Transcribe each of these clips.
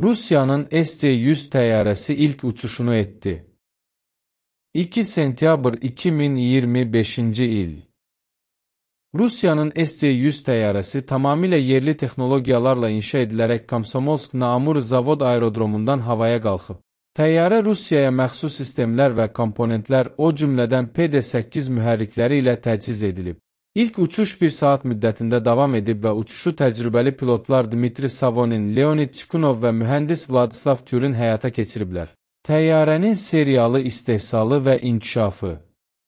Rusiyanın SC-100 təyyarəsi ilk uçuşunu etdi. 2 sentyabr 2025-ci il. Rusiyanın SC-100 təyyarəsi tamamilə yerli texnologiyalarla inşa edilərək Komsomolsk-na-Amur zavod aerodromundan havaya qalxıb. Təyyarə Rusiyaya məxsus sistemlər və komponentlər, o cümlədən PD-8 mühərrikləri ilə təchiz edilib. İlk uçuş 1 saat müddətində davam edib və uçuşu təcrübəli pilotlar Dmitri Savonin, Leonid Chikunov və mühəndis Vladislav Tyurin həyata keçiriblər. Təyyarənin seriyalı istehsalı və inkişafı.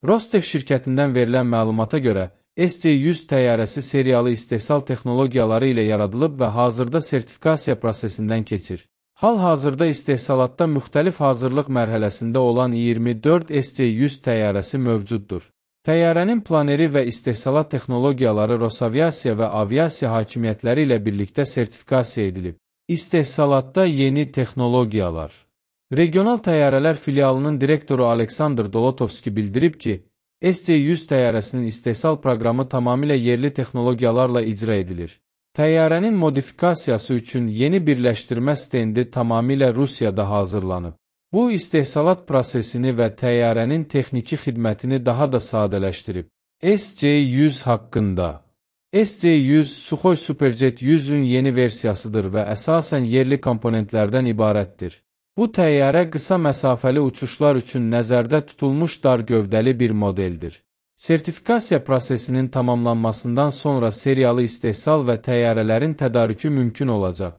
Rostec şirkətindən verilən məlumata görə, SC-100 təyyarəsi seriyalı istehsal texnologiyaları ilə yaradılıb və hazırda sertifikasiya prosesindən keçir. Hal-hazırda istehsalatda müxtəlif hazırlıq mərhələsində olan 24 SC-100 təyyarəsi mövcuddur. Təyyarənin planeri və istehsalat texnologiyaları Rosaviasiya və aviasiya hakimiyyətləri ilə birlikdə sertifikasiya edilib. İstehsalatda yeni texnologiyalar. Regional təyyarələr filialının direktoru Aleksandr Dolotovski bildirib ki, SC-100 təyyarəsinin istehsal proqramı tamamilə yerli texnologiyalarla icra edilir. Təyyarənin modifikasiyası üçün yeni birləşdirmə stendi tamamilə Rusiyada hazırlanıb. Bu, istehsalat prosesini və təyyarənin texniki xidmətini daha da sadələşdirib. SC-100 haqqında. SC-100 Suxoy Superjet 100-ün yeni versiyasıdır və əsasən yerli komponentlərdən ibarətdir. Bu təyyarə qısa məsafəli uçuşlar üçün nəzərdə tutulmuş dar gövdəli bir modeldir. Sertifikasiya prosesinin tamamlanmasından sonra seriyalı istehsal və təyyarələrin tədarükü mümkün olacaq.